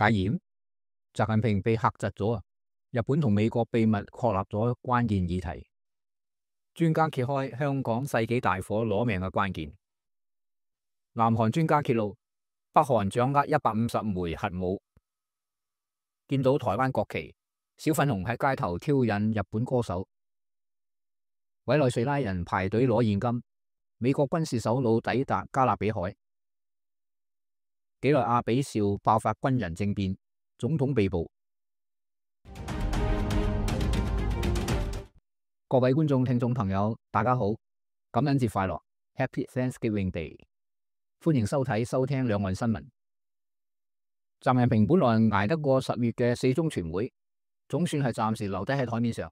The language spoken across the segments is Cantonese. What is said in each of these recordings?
戒嚴，習近平被嚇窒咗啊！日本同美國秘密確立咗關鍵議題，專家揭開香港世紀大火攞命嘅關鍵。南韓專家揭露，北韓掌握150枚核武。見到台灣國旗，小粉紅喺街頭挑釁日本歌手。委內瑞拉人排隊攞現金。美國軍事首腦抵達加勒比海。幾內亞比紹爆發軍人政變，總統被捕。各位觀眾、聽眾朋友，大家好，感恩節快樂 ，Happy Thanksgiving Day！ 歡迎收睇、收聽兩岸新聞。習近平本來捱得過10月嘅4中全會，總算係暫時留低喺台面上，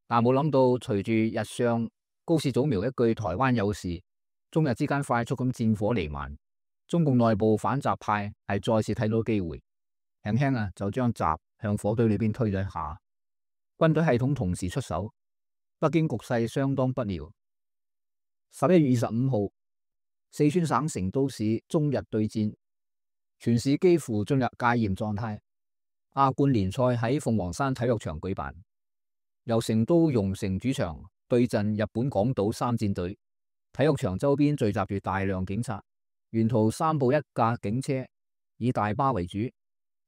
但冇諗到隨住日上高市早苗一句台灣有事，中日之間快速咁戰火彌漫，中共內部反習派係再次睇到機會，輕輕就將習向火堆裏邊推咗一下，軍隊系統同時出手，北京局勢相當不妙。11月25號，四川省成都市中日對戰，全市幾乎進入戒嚴狀態。亞冠聯賽喺鳳凰山體育場舉辦，由成都蓉城主場對陣日本廣島3戰隊。體育場周邊聚集住大量警察，沿途3部1架警車，以大巴為主。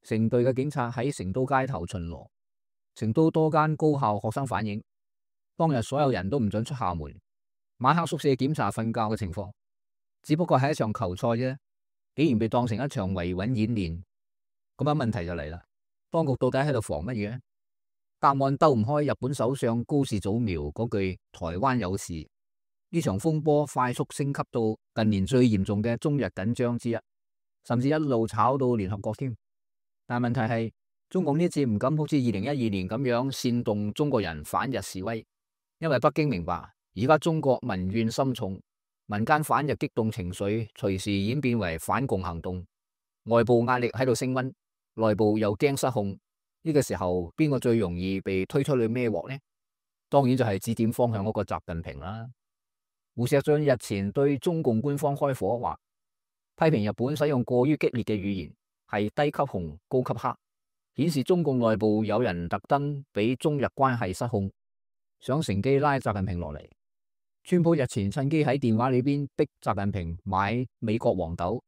成隊嘅警察喺成都街頭巡邏。成都多間高校學生反映，當日所有人都唔准出校門，晚黑宿舍檢查瞓覺嘅情況。只不過係一場球賽啫，竟然被當成一場維穩演練。咁樣問題就嚟啦，當局到底喺度防乜嘢？答案兜唔開日本首相高市早苗嗰句台灣有事。呢場風波快速升級到近年最嚴重嘅中日緊張之一，甚至一路炒到聯合國添。但問題係，中共呢次唔敢好似2012年咁樣煽動中國人反日示威，因為北京明白而家中國民怨深重，民間反日激動情緒隨時演變為反共行動，外部壓力喺度升溫，內部又驚失控。呢個時候邊個最容易被推出去孭鑊呢？當然就係指點方向嗰個習近平啦。胡錫進日前對中共官方開火，話批評日本使用過於激烈嘅語言，係低級紅高級黑，顯示中共內部有人特登俾中日關係失控，想乘機拉習近平落嚟。川普日前趁機喺電話裏邊逼習近平買美國黃豆，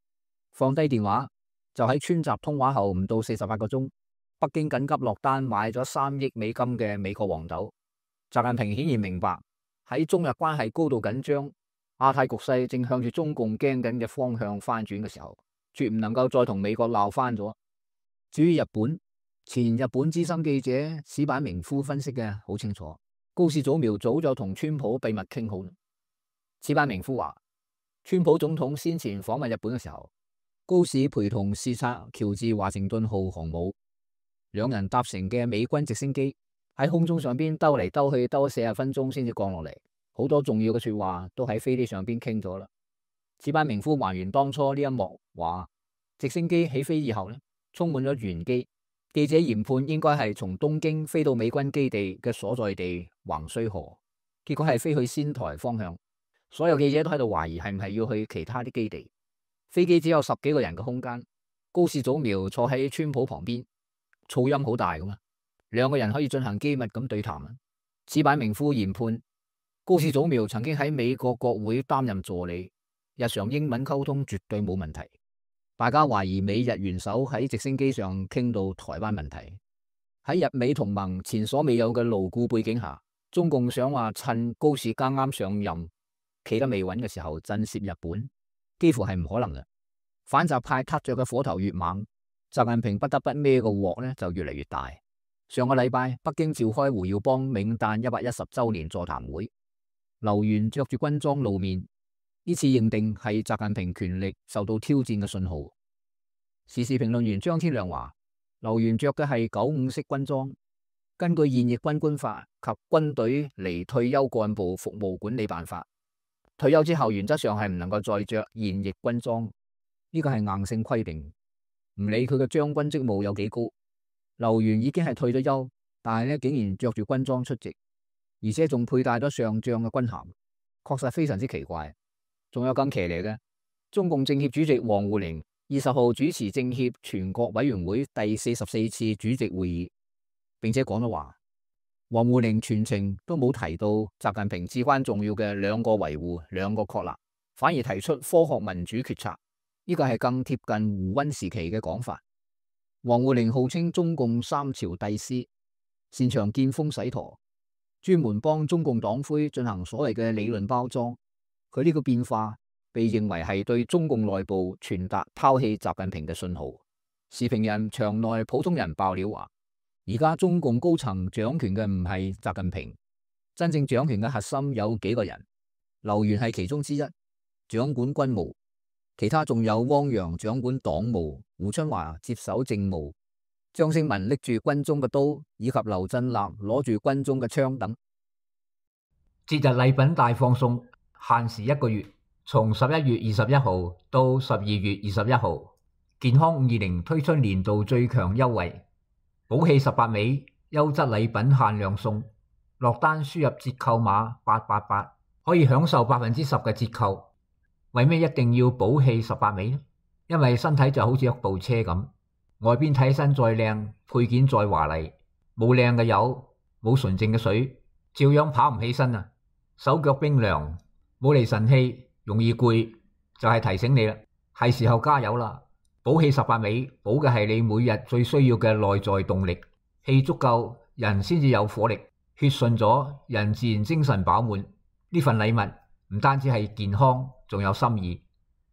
放低電話就喺川習通話後唔到48個鐘，北京緊急落單買咗3億美金嘅美國黃豆。習近平顯然明白，喺中日關係高度緊張、亞太局勢正向住中共驚緊嘅方向翻轉嘅時候，絕唔能夠再同美國鬧翻咗。至於日本，前日本資深記者矢板明夫分析嘅好清楚，高市早苗早就同川普秘密傾好。矢板明夫話，川普總統先前訪問日本嘅時候，高市陪同視察喬治華盛頓號航母，兩人搭乘嘅美軍直升機喺空中上邊兜嚟兜去，兜咗40分鐘先至降落嚟，好多重要嘅說話都喺飛機上邊傾咗啦。矢板明夫還原當初呢一幕，話直升機起飛以後呢，充滿咗玄機，記者研判應該係從東京飛到美軍基地嘅所在地橫須賀，結果係飛去仙台方向。所有記者都喺度懷疑係唔係要去其他啲基地。飛機只有10幾個人嘅空間，高市早苗坐喺川普旁邊，噪音好大噶嘛。兩個人可以進行機密咁對談。矢板明夫研判，高市早苗曾經喺美國國會擔任助理，日常英文溝通絕對冇問題。大家懷疑美日元首喺直升機上傾到台灣問題。喺日美同盟前所未有嘅牢固背景下，中共想話趁高市剛啱上任企得未穩嘅時候震懾日本，幾乎係唔可能嘅。反習派撻着嘅火頭越猛，習近平不得不孭個鑊呢就越嚟越大。上個禮拜，北京召開胡耀邦冥誕110週年座談會，劉源着住軍裝露面，呢次認定係習近平權力受到挑戰嘅信號。時事評論員張天亮話，劉源着嘅係95式軍裝，根據現役軍官法及軍隊離退休幹部服務管理辦法，退休之後原則上係唔能夠再着現役軍裝，呢個係硬性規定，唔理佢嘅將軍職務有幾高。劉源已經係退咗休，但係咧竟然着住軍裝出席，而且仲佩戴咗上將嘅軍銜，確實非常之奇怪。仲有更騎呢嘅，中共政協主席王滬寧20號主持政協全國委員會第44次主席會議，並且講咗話，王滬寧全程都冇提到習近平至關重要嘅兩個維護、兩個確立，反而提出科學民主決策，呢個係更貼近胡溫時期嘅講法。王滬寧號稱中共三朝帝師，擅長見風使舵，專門幫中共黨魁進行所謂嘅理論包裝。佢呢個變化被認為係對中共內部傳達拋棄習近平嘅信號。時評人場內普通人爆料話，而家中共高層掌權嘅唔係習近平，真正掌權嘅核心有幾個人，劉源係其中之一，掌管軍務，其他仲有汪洋掌管黨務，胡春華接手政務，張勝文拎住軍中嘅刀，以及劉振立攞住軍中嘅槍等。節日禮品大放送，限時1個月，從11月21號到12月21號，健康520推出年度最強優惠，寶氣18味，優質禮品限量送，落單輸入折扣碼888，可以享受10%嘅折扣。為咩一定要寶氣18味呢？因為身體就好似一部車咁，外邊睇起身再靚，配件再華麗，冇靚嘅油，冇純淨嘅水，照樣跑唔起身啊！手腳冰涼，冇嚟神氣，容易攰，就係提醒你啦，係時候加油啦！寶氣18味，補嘅係你每日最需要嘅內在動力，氣足夠，人先至有火力，血順咗，人自然精神飽滿。呢份禮物唔單止係健康，仲有心意，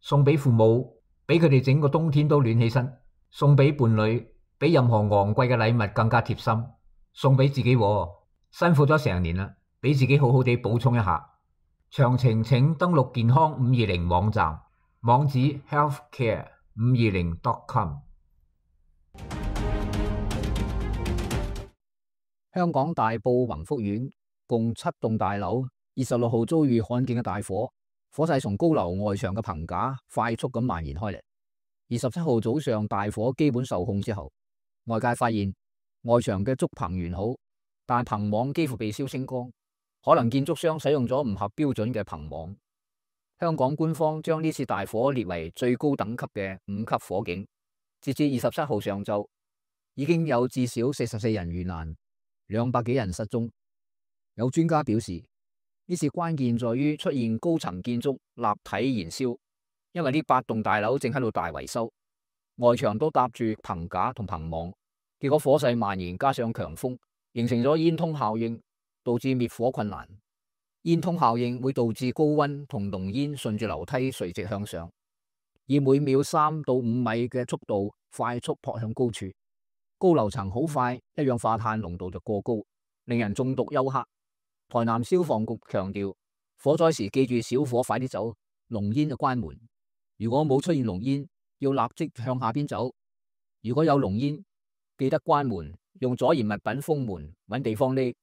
送俾父母，俾佢哋整個冬天都暖起身；送俾伴侶，比任何昂貴嘅禮物更加貼心；送俾自己，辛苦咗成年啦，俾自己好好地補充一下。詳情請登錄健康520網站，網址 healthcare520.com。香港大埔宏福苑共7棟大樓26號遭遇罕見嘅大火，火勢從高樓外牆嘅棚架快速咁蔓延開嚟。27號早上大火基本受控之後，外界發現外牆嘅竹棚完好，但棚網幾乎被燒清光，可能建築商使用咗唔合標準嘅棚網。香港官方將呢次大火列為最高等級嘅5級火警。截至27號上晝，已經有至少44人遇難，200幾人失蹤。有專家表示，呢次關鍵在於出現高層建築立體燃燒，因為呢8棟大樓正喺度大維修，外牆都搭住棚架同棚網，結果火勢蔓延加上強風，形成咗煙通效應，導致滅火困難。煙通效應會導致高溫同濃煙順住樓梯垂直向上，以每秒3到5米嘅速度快速撲向高處。高樓層好快，一氧化碳濃度就過高，令人中毒休克。台南消防局強調，火災時記住小火快啲走，濃煙就關門。如果冇出現濃煙，要立即向下邊走。如果有濃煙，記得關門，用阻燃物品封門，搵地方匿。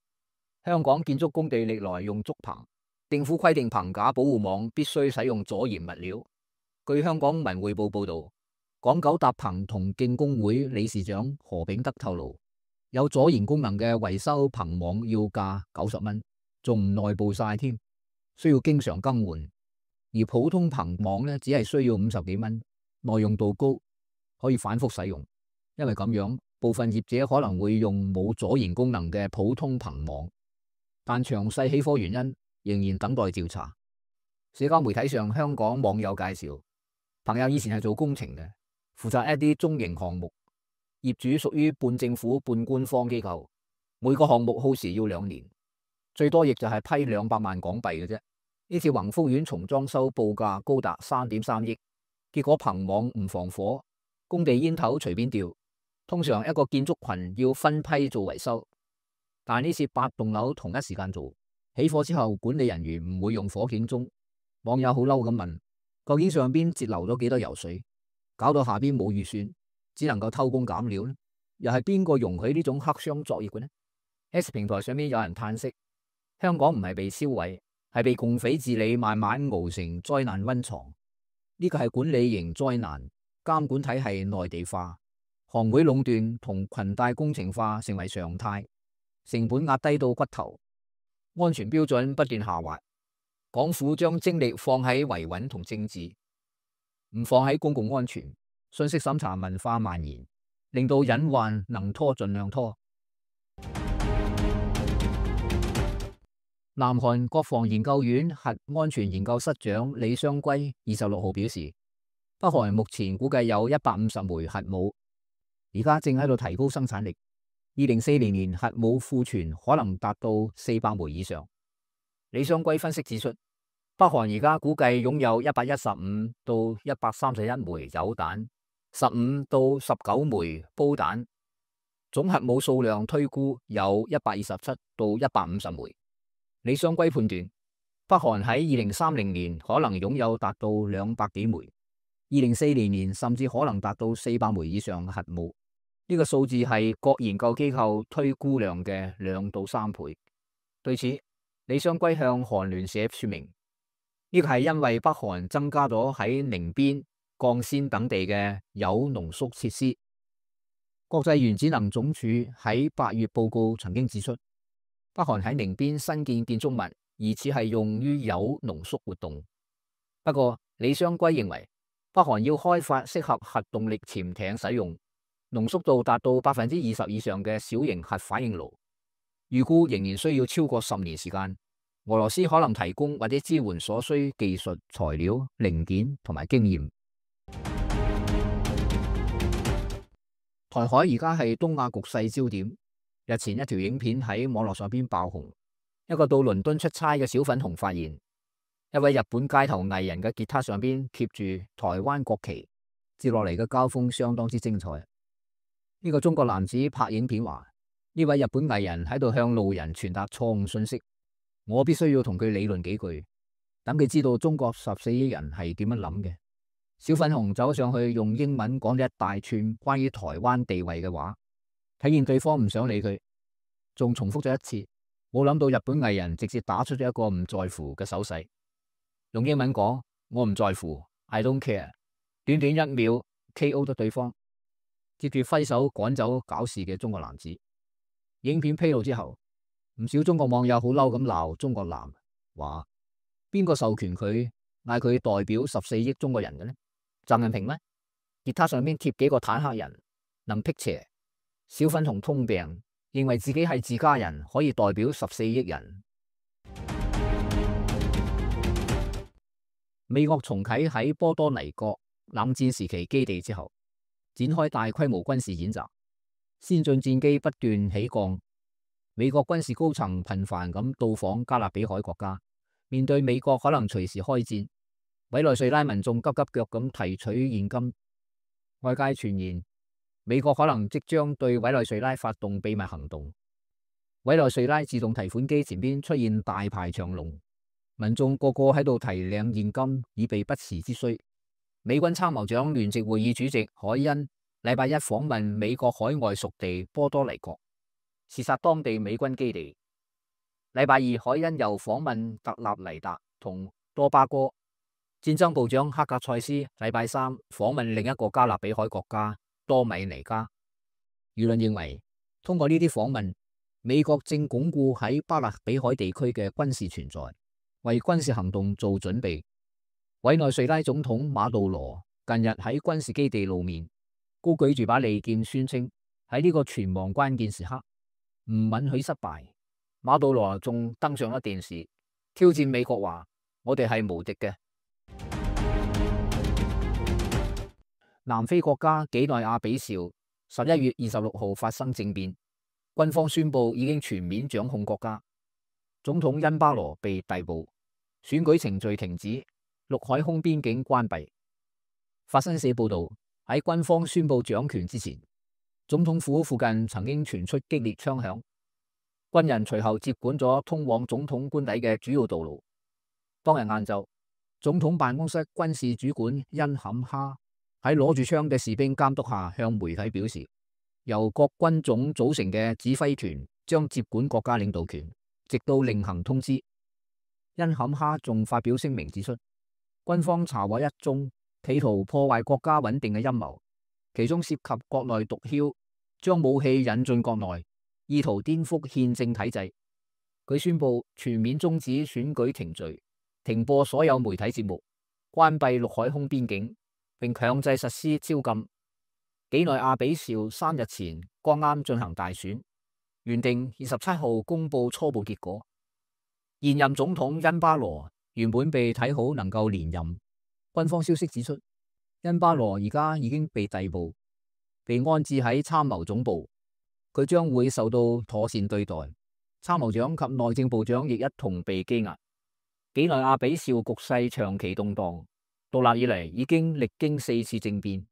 香港建築工地歷來用竹棚，政府規定棚架保護網必須使用阻燃物料。據香港文匯報報道，港九搭棚同敬工會理事長何炳德透露，有阻燃功能嘅維修棚網要價90蚊，仲唔內部晒添，需要經常更換。而普通棚網呢，只係需要50幾蚊，耐用度高，可以反覆使用。因為咁樣，部分業者可能會用冇阻燃功能嘅普通棚網。但詳細起火原因仍然等待調查。社交媒體上，香港網友介紹，朋友以前係做工程嘅，負責一啲中型項目，業主屬於半政府半官方機構，每個項目耗時要2年，最多亦就係批200萬港幣嘅啫。呢次宏福苑重裝修報價高達3.3億，結果棚網唔防火，工地煙頭隨便掉。通常一個建築群要分批做維修。但呢次8棟樓同一時間做，起火之後管理人員唔會用火警鐘。網友好嬲咁問，究竟上邊截流咗幾多油水，搞到下邊冇預算，只能夠偷工減料呢？又係邊個容許呢種黑箱作業嘅呢？ X 平台上面有人嘆息，香港唔係被燒毀，係被共匪治理慢慢熬成災難溫床。呢個係管理型災難，監管體系內地化，行會壟斷同裙帶工程化成為常態。成本壓低到骨頭，安全標準不斷下滑。港府將精力放喺維穩同政治，唔放喺公共安全，信息審查文化蔓延，令到隱患能拖盡量拖。南韓國防研究院核安全研究室長李相圭26號表示，北韓目前估計有150枚核武，而家正喺度提高生產力。2040年核武庫存可能達到400枚以上。李相圭分析指出，北韓而家估計擁有115到131枚鈾彈，15到19枚褒彈，總核武數量推估有127到150枚。李相圭判斷，北韓喺2030年可能擁有達到200幾枚，2040年甚至可能達到400枚以上核武。呢個數字係各研究機構推估量嘅2到3倍。對此，李相圭向韓聯社說明，呢個係因為北韓增加咗喺寧邊、江鮮等地嘅鈾濃縮設施。國際原子能總署喺8月報告曾經指出，北韓喺寧邊新建建築物疑似係用於鈾濃縮活動。不過，李相圭認為，北韓要開發適合核動力潛艇使用、濃縮度達到20%以上嘅小型核反應爐，預估仍然需要超過10年時間。俄羅斯可能提供或者支援所需技術、材料、零件同埋經驗。台海而家係東亞局勢焦點。日前一條影片喺網絡上邊爆紅，一個到倫敦出差嘅小粉紅發現，一位日本街頭藝人嘅吉他上邊貼住台灣國旗，接落嚟嘅交鋒相當之精彩。呢個中國男子拍影片話，呢位日本藝人喺度向路人傳達錯誤信息，我必須要同佢理論幾句，等佢知道中國14億人係點樣諗嘅。小粉紅走上去用英文講咗一大串關於台灣地位嘅話。睇見對方唔想理佢，仲重複咗一次，冇諗到日本藝人直接打出咗一個唔在乎嘅手勢，用英文講我唔在乎 ，I don't care， 短短1秒 KO 咗對方，接住揮手趕走搞事嘅中國男子。影片披露之後，唔少中國網友好嬲咁鬧中國男，話邊個授權佢嗌佢代表14億中國人嘅呢？習近平咩？吉他上面貼幾個坦克人，能辟邪？小粉紅通病，認為自己係自家人，可以代表14億人。美國重啟喺波多黎各冷戰時期基地之後，展開大規模軍事演習，先進戰機不斷起降。美國軍事高層頻繁咁到訪加勒比海國家，面對美國可能隨時開戰，委內瑞拉民眾急急腳咁提取現金。外界傳言，美國可能即將對委內瑞拉發動秘密行動。委內瑞拉自動提款機前邊出現大排長龍，民眾個個喺度提領現金，以備不時之需。美軍參謀長聯席會議主席海恩禮拜一訪問美國海外屬地波多黎各，視察當地美軍基地。禮拜二，海恩又訪問特立尼達同多巴哥。戰爭部長克格塞斯禮拜三訪問另一個加勒比海國家多米尼加。輿論認為，通過呢啲訪問，美國正鞏固喺加勒比海地區嘅軍事存在，為軍事行動做準備。委內瑞拉總統馬杜羅近日喺軍事基地露面，高舉住把利劍，宣稱喺呢個存亡關鍵時刻唔允許失敗。馬杜羅仲登上咗電視，挑戰美國話：我哋係無敵嘅。南非國家幾內亞比紹11月26號發生政變，軍方宣布已經全面掌控國家，總統恩巴羅被逮捕，選舉程序停止，陸海空邊境關閉。法新社報道，喺軍方宣布掌權之前，總統府附近曾經傳出激烈槍響，軍人隨後接管咗通往總統官邸嘅主要道路。當日晏晝，總統辦公室軍事主管恩坎哈喺攞住槍嘅士兵監督下，向媒體表示，由各軍種組成嘅指揮團將接管國家領導權，直到另行通知。恩坎哈仲發表聲明指出，軍方查獲一宗企圖破壞國家穩定嘅陰謀，其中涉及國內毒梟，將武器引進國內，意圖顛覆憲政體制。佢宣布全面終止選舉程序，停播所有媒體節目，關閉陸海空邊境，並強制實施宵禁。幾內亞比紹3日前剛啱進行大選，原定27號公佈初步結果。現任總統恩巴羅原本被睇好能夠連任，軍方消息指出，恩巴羅而家已經被逮捕，被安置喺參謀總部，佢將會受到妥善對待。參謀長及內政部長亦一同被羈押。幾內亞比紹局勢長期動盪，獨立以嚟已經歷經4次政變，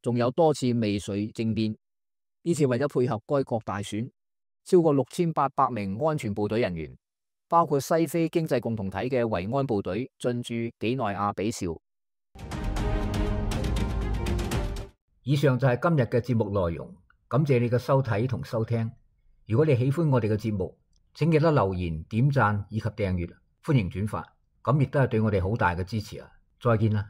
仲有多次未遂政變。呢次為咗配合該國大選，超過6800名安全部隊人員，包括西非經濟共同體嘅維安部隊進駐幾內亞比紹。以上就係今日嘅節目內容，感謝你嘅收睇同收聽。如果你喜歡我哋嘅節目，請記得留言、點讚以及訂閱，歡迎轉發，咁亦都係對我哋好大嘅支持啊！再見啦！